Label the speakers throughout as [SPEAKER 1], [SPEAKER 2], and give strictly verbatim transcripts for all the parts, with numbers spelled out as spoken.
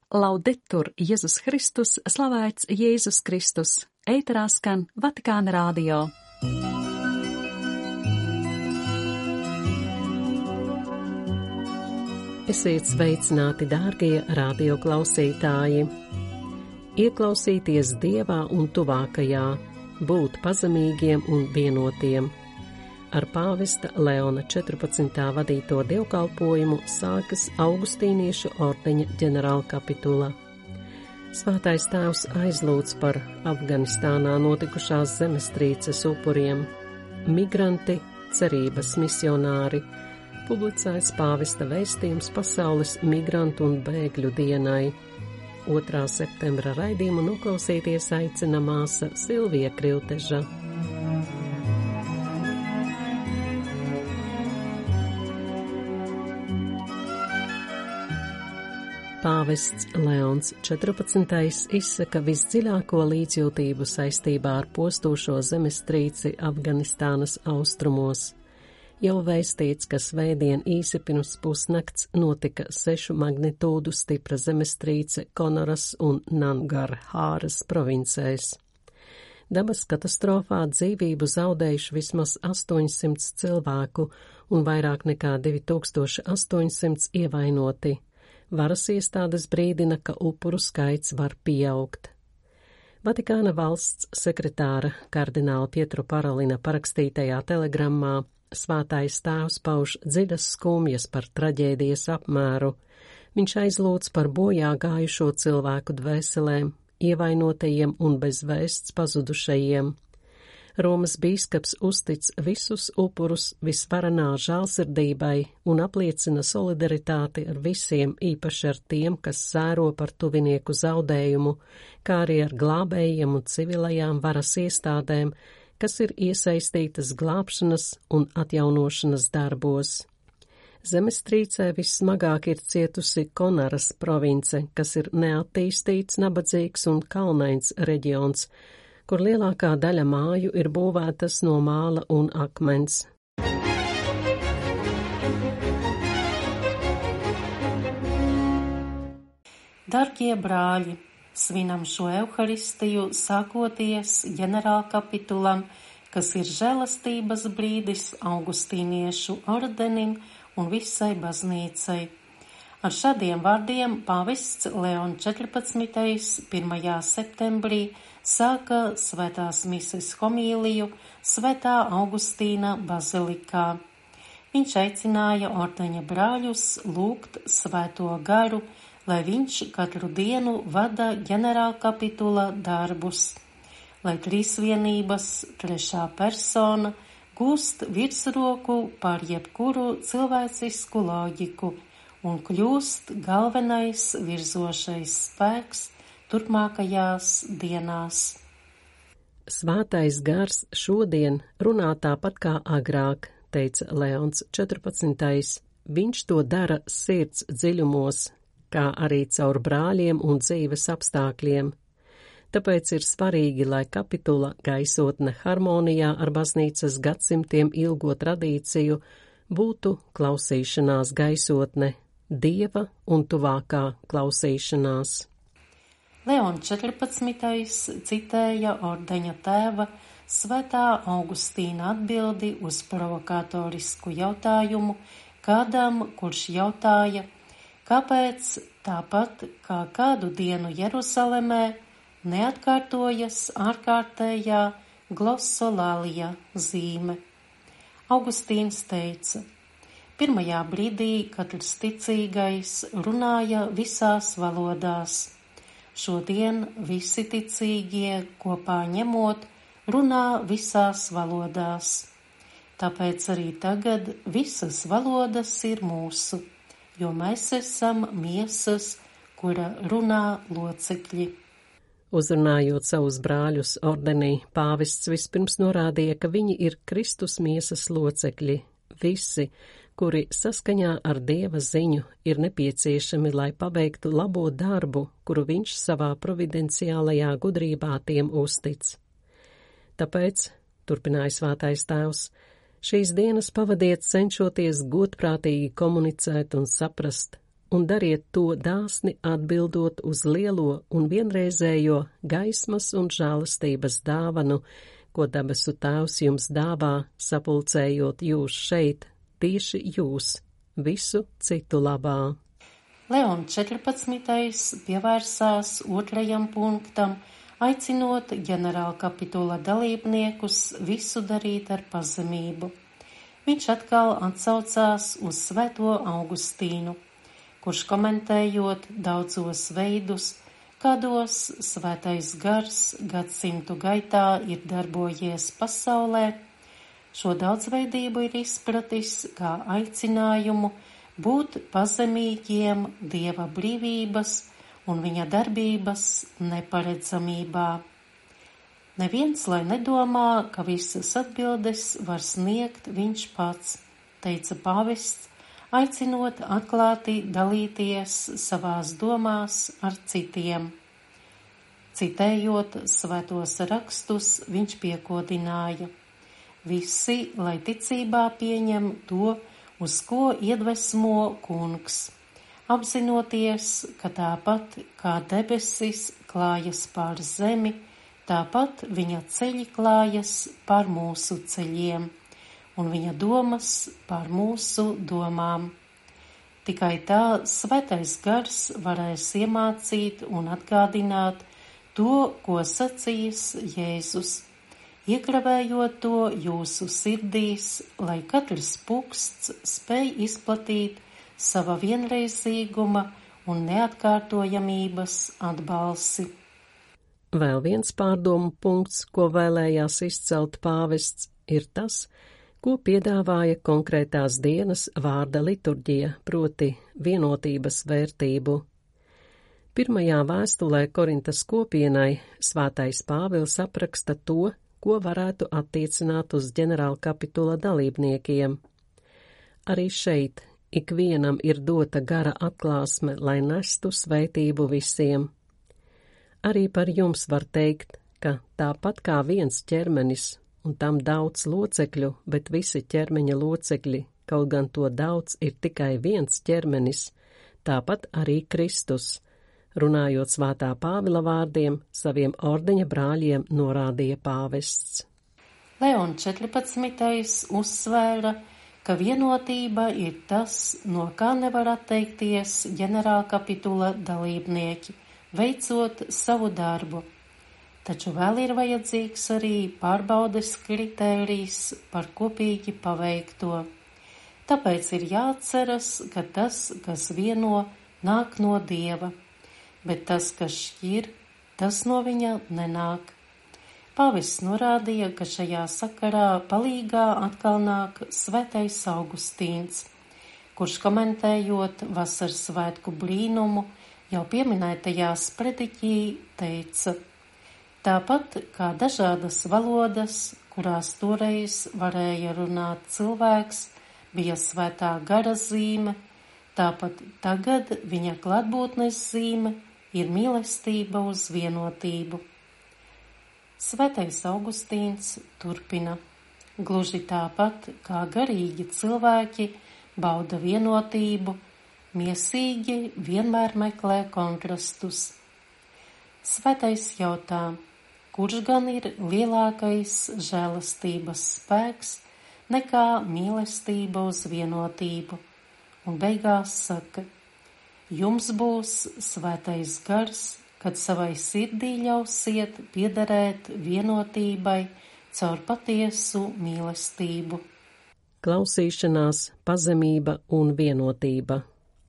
[SPEAKER 1] Laudetur Jēzus Kristus, slavēts Jēzus Kristus, ēterā skan Vatikāna radio.
[SPEAKER 2] Esiet sveicināti, dārgie radio klausītāji! Ieklausīties Dievā un tuvākajā, būt pazemīgiem un vienotiem. Ar pāvesta Leona četrpadsmitā vadīto dievkalpojumu sākas Augustīniešu ordeņa ģenerālkapitula. Svētais tēvs aizlūdz par Afganistānā notikušās zemestrīces upuriem. Migranti, cerības misionāri, publicēts pāvesta vēstījums pasaules migrantu un bēgļu dienai. otrā septembra raidījumu noklausīties aicina māsa Silvija Krilteža. Pāvests Leons četrpadsmitais izsaka visdziļāko līdzjūtību saistībā ar postošo zemestrīci Afganistānas austrumos. Jau vēstīts, ka svētdien īsi pirms pusnakts notika sešu magnitūdu stipra zemestrīce Konoras un Nangarhāras provincēs. Dabas katastrofā dzīvību zaudējuši vismaz astoņsimt cilvēku un vairāk nekā divi tūkstoši astoņsimt ievainoti. Varas iestādes brīdina, ka upuru skaits var pieaugt. Vatikāna valsts sekretāra kardināla Pietro Parolina parakstītajā telegrammā svētais tēvs pauž dziļas skumjas par traģēdijas apmēru. Viņš aizlūdz par bojā gājušo cilvēku dvēselēm, ievainotajiem un bez vēsts pazudušajiem. Romas bīskaps uztic visus upurus visvarenā žēlsirdībai un apliecina solidaritāti ar visiem, īpaši ar tiem, kas sēro par tuvinieku zaudējumu, kā arī ar glābējiem un civilajām varas iestādēm, kas ir iesaistītas glābšanas un atjaunošanas darbos. Zemestrīcē vissmagāk ir cietusi Konaras province, kas ir neattīstīts, nabadzīgs un kalnains reģions, kur lielākā daļa māju ir būvētas no māla un akmens.
[SPEAKER 3] Dargie brāļi, svinam šo Euharistiju sākoties ģenerālkapitulam, kas ir žēlastības brīdis Augustīniešu ordenim un visai baznīcai. Ar šādiem vārdiem pāvests Leon četrpadsmitais pirmajā septembrī sāka svētās mises homīliju Svētā Augustīna bazilikā. Viņš aicināja ordeņa brāļus lūgt svēto garu, lai viņš katru dienu vada ģenerālkapitula darbus, lai trīsvienības trešā persona gūst virsroku pār jebkuru cilvēcisku loģiku un kļūst galvenais virzošais spēks turpmākajās dienās.
[SPEAKER 2] Svētais gars šodien runā tāpat kā agrāk, teica Leons četrpadsmitais. Viņš to dara sirds dziļumos, kā arī caur brāļiem un dzīves apstākļiem. Tāpēc ir svarīgi, lai kapitula gaisotne harmonijā ar baznīcas gadsimtiem ilgo tradīciju būtu klausīšanās gaisotne, Dieva un tuvākā klausīšanās.
[SPEAKER 3] Leon četrpadsmitais citēja ordeņa tēva Svētā Augustīna atbildi uz provokatorisku jautājumu kādam, kurš jautāja, kāpēc tāpat kā kādu dienu Jeruzalemē neatkārtojas ārkārtējā glossolālija zīme. Augustīns teica, pirmajā brīdī katrs ticīgais runāja visās valodās. Šodien visi ticīgie kopā ņemot runā visās valodās. Tāpēc arī tagad visas valodas ir mūsu, jo mēs esam miesas, kura runā locekļi.
[SPEAKER 2] Uzrunājot savus brāļus ordenī, pāvests vispirms norādīja, ka viņi ir Kristus miesas locekļi, visi, kuri saskaņā ar Dieva ziņu ir nepieciešami, lai paveiktu labo darbu, kuru viņš savā providenciālajā gudrībā tiem uztic. Tāpēc, turpināja svētais tēvs, šīs dienas pavadiet cenšoties godprātīgi komunicēt un saprast, un dariet to dāsni atbildot uz lielo un vienreizējo gaismas un žēlastības dāvanu, ko debesu Tēvs jums dāvā, sapulcējot jūs šeit, tieši jūs, visu citu labā.
[SPEAKER 3] Leons četrpadsmitais pievērsās otrajam punktam, aicinot ģenerālkapitula dalībniekus visu darīt ar pazemību. Viņš atkal atsaucās uz svēto Augustīnu, kurš komentējot daudzos veidus, kādos svētais gars gadsimtu gaitā ir darbojies pasaulē, šo daudzveidību ir izpratis kā aicinājumu būt pazemīgiem Dieva brīvības un viņa darbības neparedzamībā. Neviens, lai nedomā, ka visas atbildes var sniegt viņš pats, teica pāvests, aicinot atklāti dalīties savās domās ar citiem. Citējot svētos rakstus, viņš piekodināja: visi, lai ticībā pieņem to, uz ko iedvesmo kungs, apzinoties, ka tāpat kā debesis klājas pār zemi, tāpat viņa ceļi klājas pār mūsu ceļiem, un viņa domas pār mūsu domām. Tikai tā svētais gars varēs iemācīt un atgādināt to, ko sacījis Jēzus, iekravējot to jūsu sirdīs, lai katrs puksts spēj izplatīt sava vienreizīguma un neatkārtojamības atbalsi.
[SPEAKER 2] Vēl viens pārdomu punkts, ko vēlējās izcelt pāvests, ir tas, ko piedāvāja konkrētās dienas vārda liturģija, proti vienotības vērtību. Pirmajā vēstulē Korintas kopienai svētais Pāvils apraksta to, ko varētu attiecināt uz ģenerālkapitula dalībniekiem. Arī šeit ikvienam ir dota gara atklāsme, lai nestu svētību visiem. Arī par jums var teikt, ka tāpat kā viens ķermenis, un tam daudz locekļu, bet visi ķermeņa locekļi, kaut gan to daudz ir tikai viens ķermenis, tāpat arī Kristus, runājot svētā Pāvila vārdiem, saviem ordeņa brāļiem norādīja pāvests.
[SPEAKER 3] Leons četrpadsmitais uzsvēra, ka vienotība ir tas, no kā nevar atteikties ģenerālkapitula dalībnieki, veicot savu darbu. Taču vēl ir vajadzīgs arī pārbaudes kritērijs par kopīgi paveikto. Tāpēc ir jāatceras, ka tas, kas vieno, nāk no Dieva, bet tas, kas šķir, tas no viņa nenāk. Pāvests norādīja, ka šajā sakarā palīgā atkal nāk svētais Augustīns, kurš komentējot vasaras svētku brīnumu, jau pieminētajā sprediķī teica: tāpat kā dažādas valodas, kurās toreiz varēja runāt cilvēks, bija svētā gara zīme, tāpat tagad viņa klātbūtnes zīme ir mīlestība uz vienotību. Svētais Augustīns turpina: gluži tāpat kā garīgi cilvēki bauda vienotību, miesīgi vienmēr meklē kontrastus. Svētais jautā, kurš gan ir lielākais žēlastības spēks nekā mīlestība uz vienotību, un beigās saka: jums būs svētais gars, kad savai sirdī ļausiet piederēt vienotībai caur patiesu mīlestību.
[SPEAKER 2] Klausīšanās, pazemība un vienotība.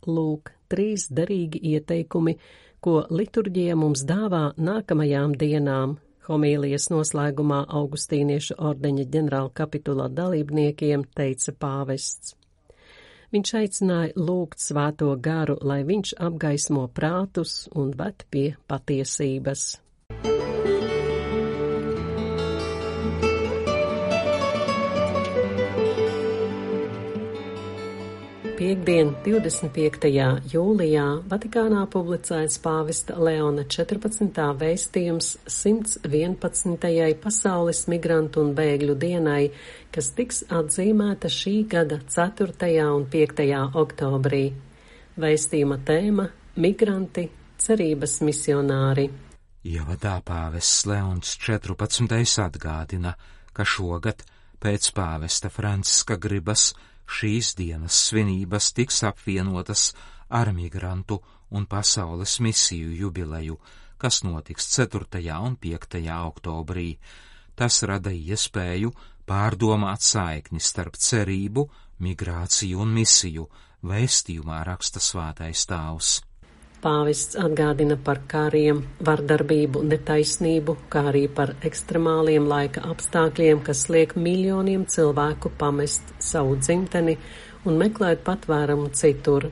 [SPEAKER 2] Lūk, trīs derīgi ieteikumi, ko liturģija mums dāvā nākamajām dienām. Homīlijas noslēgumā Augustīniešu ordeņa ģenerālkapitula dalībniekiem teica pāvests. Viņš aicināja lūgt svēto garu, lai viņš apgaismo prātus un ved pie patiesības. Piektdien, divdesmit piektajā jūlijā, Vatikānā publicēts pāvesta Leona četrpadsmitā vēstījums simts vienpadsmitajai pasaules migrantu un bēgļu dienai, kas tiks atzīmēta šī gada ceturtajā un piektajā oktobrī. Vēstījuma tēma – migranti, cerības misionāri.
[SPEAKER 4] Ievadā pāvests Leons četrpadsmitais atgādina, ka šogad pēc pāvesta Franciska gribas šīs dienas svinības tiks apvienotas ar migrantu un pasaules misiju jubileju, kas notiks ceturtajā un piektajā oktobrī. Tas rada iespēju pārdomāt saikni starp cerību, migrāciju un misiju, vēstījumā raksta Svētais Tēvs.
[SPEAKER 2] Pāvests atgādina par kariem, vardarbību, netaisnību, kā arī par ekstremāliem laika apstākļiem, kas liek miljoniem cilvēku pamest savu dzimteni un meklēt patvērumu citur.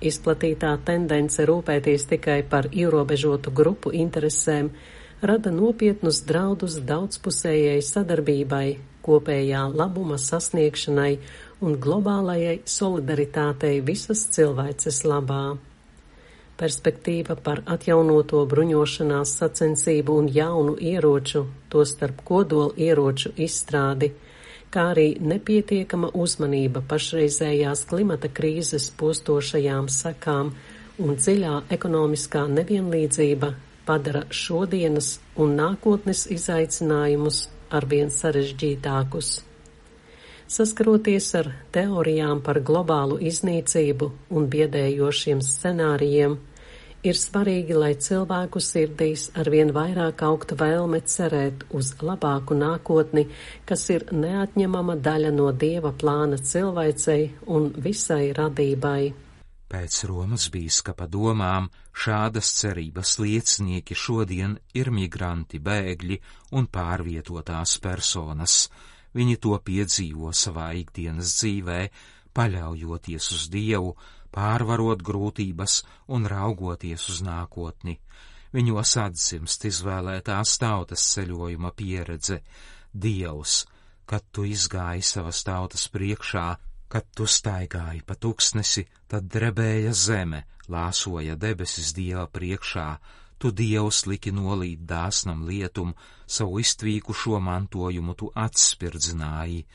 [SPEAKER 2] Izplatītā tendence rūpēties tikai par ierobežotu grupu interesēm rada nopietnus draudus daudzpusējai sadarbībai, kopējā labuma sasniegšanai un globālajai solidaritātei visas cilvēces labā. Perspektīva par atjaunoto bruņošanās sacensību un jaunu ieroču, tostarp kodola ieroču izstrādi, kā arī nepietiekama uzmanība pašreizējās klimata krīzes postošajām sekām un dziļā ekonomiskā nevienlīdzība padara šodienas un nākotnes izaicinājumus arvien sarežģītākus. Saskaroties ar teorijām par globālu iznīcību un biedējošiem scenārijiem, ir svarīgi, lai cilvēku sirdīs arvien vairāk augtu vēlme cerēt uz labāku nākotni, kas ir neatņemama daļa no Dieva plāna cilvēcei un visai radībai.
[SPEAKER 4] Pēc Romas bīskapa domām šādas cerības liecinieki šodien ir migranti, bēgļi un pārvietotās personas. Viņi to piedzīvo savā ikdienas dzīvē, paļaujoties uz Dievu, pārvarot grūtības un raugoties uz nākotni. Viņos atdzimst izvēlētās tautas ceļojuma pieredze. Dievs, kad tu izgāji savas tautas priekšā, kad tu staigāji pa tuksnesi, tad drebēja zeme, lāsoja debesis Dieva priekšā. Tu, Dievs, liki nolīt dāsnam lietum, savu iztvīkušo mantojumu tu atspirdzināji.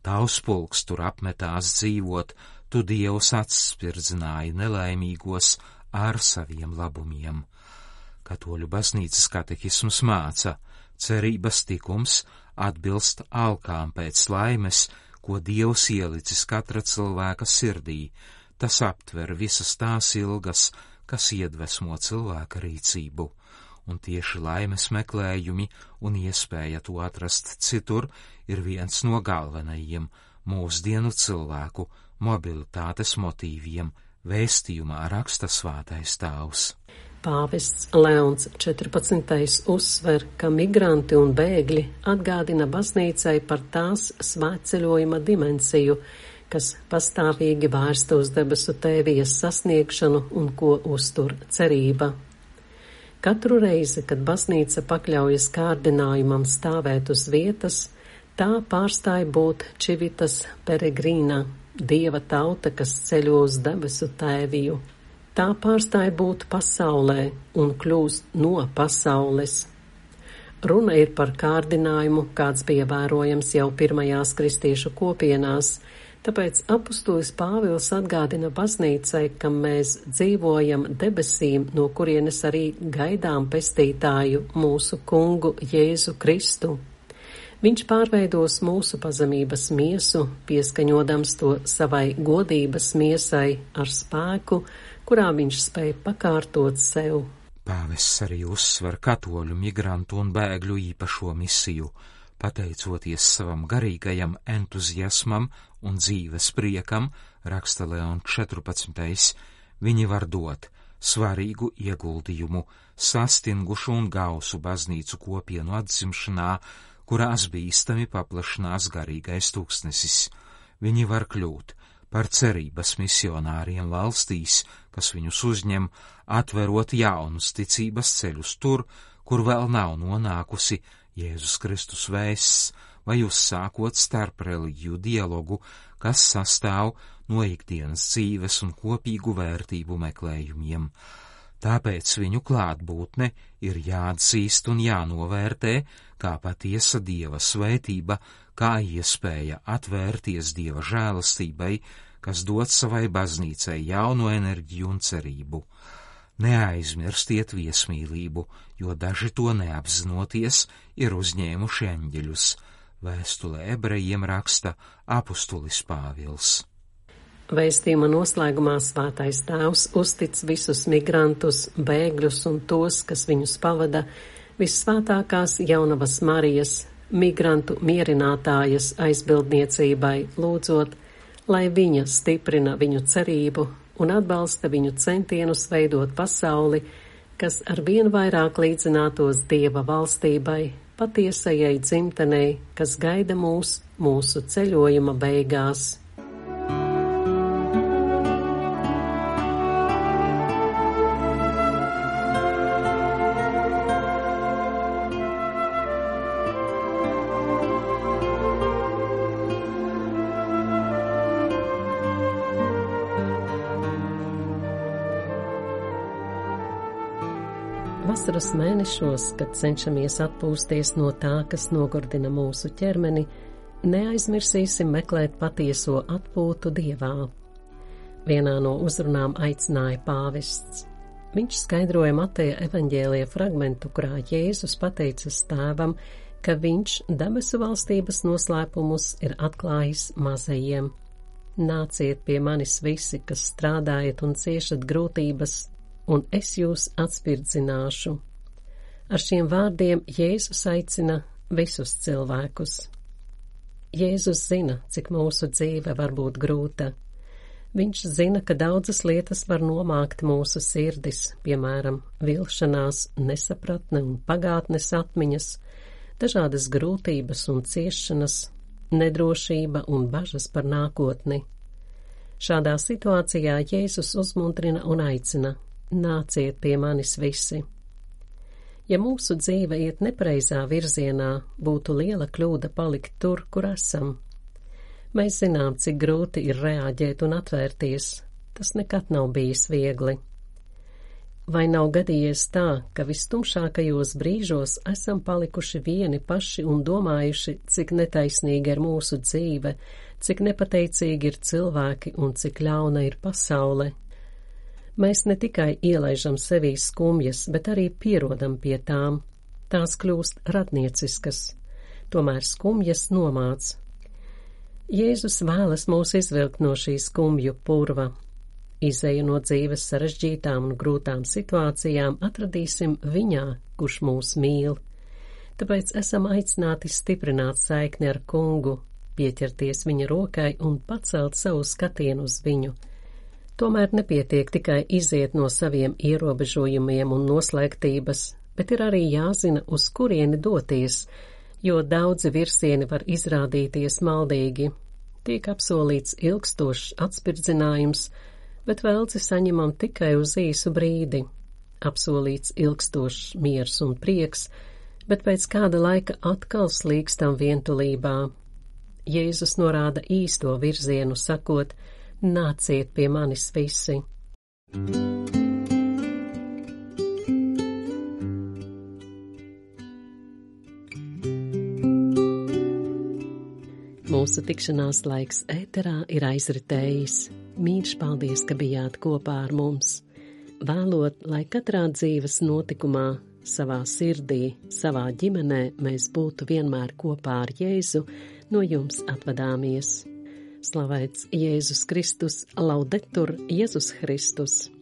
[SPEAKER 4] Tavs pulks tur apmetās dzīvot, tu, Dievs, atspirdzināji nelaimīgos ar saviem labumiem. Katoļu baznīcas katehisms māca, cerības tikums atbilst alkām pēc laimes, ko Dievs ielicis katra cilvēka sirdī. Tas aptver visas tās ilgas, kas iedvesmo cilvēka rīcību, un tieši laimes meklējumi un iespēja to atrast citur ir viens no galvenajiem mūsdienu cilvēku mobilitātes motīviem, vēstījumā raksta Svētais Tēvs.
[SPEAKER 2] Pāvests Leons četrpadsmitais uzsver, ka migranti un bēgļi atgādina baznīcai par tās svētceļojuma dimensiju, kas pastāvīgi vērsta uz debesu tēvijas sasniegšanu un ko uztur cerība. Katru reizi, kad baznīca pakļaujas kārdinājumam stāvēt uz vietas, tā pārstāja būt civitas peregrīna, Dieva tauta, kas ceļo uz debesu tēviju. Tā pārstāja būt pasaulē un kļūst no pasaules. Runa ir par kārdinājumu, kāds bija vērojams jau pirmajās kristiešu kopienās, tāpēc apustulis Pāvils atgādina baznīcai, ka mēs dzīvojam debesīm, no kurienes arī gaidām pestītāju, mūsu kungu Jēzu Kristu. Viņš pārveidos mūsu pazemības miesu, pieskaņodams to savai godības miesai ar spēku, kurā viņš spēja pakārtot sev.
[SPEAKER 4] Pāvests arī uzsver katoļu migrantu un bēgļu īpašo misiju. Pateicoties savam garīgajam entuziasmam un dzīves priekam, raksta Leons četrpadsmitais, viņi var dot svarīgu ieguldījumu sastingušu un gausu baznīcu kopienu atzimšanā, kurās bīstami paplašinās garīgais tūkstnesis. Viņi var kļūt par cerības misionāriem valstīs, kas viņus uzņem, atverot jaunus ticības ceļus tur, kur vēl nav nonākusi Jēzus Kristus vēsts, vai uzsākot starp reliģiju dialogu, kas sastāv no ikdienas dzīves un kopīgu vērtību meklējumiem. Tāpēc viņu klātbūtne ir jāatzīst un jānovērtē kā patiesa Dieva svētība, kā iespēja atvērties Dieva žēlastībai, kas dod savai baznīcai jaunu enerģiju un cerību. Neaizmirstiet viesmīlību, jo daži to neapzinoties ir uzņēmuši eņģeļus. Vēstulē ebrejiem raksta apustulis Pāvils.
[SPEAKER 2] Vēstījuma noslēgumā Svētais Tēvs uztic visus migrantus, bēgļus un tos, kas viņus pavada, Vissvētākās Jaunavas Marijas, migrantu mierinātājas aizbildniecībai, lūdzot, lai viņa stiprina viņu cerību un atbalsta viņu centienus veidot pasauli, kas ar vien vairāk līdzinātos Dieva valstībai, patiesajai dzimtenei, kas gaida mūs mūsu ceļojuma beigās. Vasaras mēnešos, kad cenšamies atpūsties no tā, kas nogurdina mūsu ķermeni, neaizmirsīsim meklēt patieso atpūtu Dievā. Vienā no uzrunām aicināja pāvests. Viņš skaidroja Mateja evaņģēlija fragmentu, kurā Jēzus pateicas Tēvam, ka viņš debesu valstības noslēpumus ir atklājis mazajiem. Nāciet pie manis visi, kas strādājat un ciešat grūtības, un es jūs atspirdzināšu. Ar šiem vārdiem Jēzus aicina visus cilvēkus. Jēzus zina, cik mūsu dzīve var būt grūta. Viņš zina, ka daudzas lietas var nomākt mūsu sirdis, piemēram, vilšanās, nesapratne un pagātnes atmiņas, dažādas grūtības un ciešanas, nedrošība un bažas par nākotni. Šādā situācijā Jēzus uzmundrina un aicina: nāciet pie manis visi. Ja mūsu dzīve iet nepareizā virzienā, būtu liela kļūda palikt tur, kur esam. Mēs zinām, cik grūti ir reaģēt un atvērties. Tas nekad nav bijis viegli. Vai nav gadījies tā, ka vistumšākajos brīžos esam palikuši vieni paši un domājuši, cik netaisnīga ir mūsu dzīve, cik nepateicīgi ir cilvēki un cik ļauna ir pasaule? Mēs ne tikai ielaižam sevī skumjas, bet arī pierodam pie tām. Tās kļūst radnieciskas, tomēr skumjas nomāc. Jēzus vēlas mūs izvilkt no šī skumju purva. Izeju no dzīves sarežģītām un grūtām situācijām atradīsim viņā, kurš mūs mīl. Tāpēc esam aicināti stiprināt saikni ar Kungu, pieķerties viņa rokai un pacelt savu skatienu uz viņu. Tomēr nepietiek tikai iziet no saviem ierobežojumiem un noslēgtības, bet ir arī jāzina, uz kurieni doties, jo daudzi virsieni var izrādīties maldīgi. Tiek apsolīts ilgstošs atspirdzinājums, bet velci saņemam tikai uz īsu brīdi. Apsolīts ilgstošs miers un prieks, bet pēc kāda laika atkal slīkstam vientulībā. Jēzus norāda īsto virzienu, sakot: nāciet pie manis visi. Mūsu tikšanās laiks ēterā ir aizritējis. Mīļš paldies, ka bijāt kopā ar mums. Vēlot, lai katrā dzīves notikumā, savā sirdī, savā ģimenē mēs būtu vienmēr kopā ar Jēzu, no jums atvadāmies. Slavēts Jēzus Kristus, laudetur Jēzus Kristus!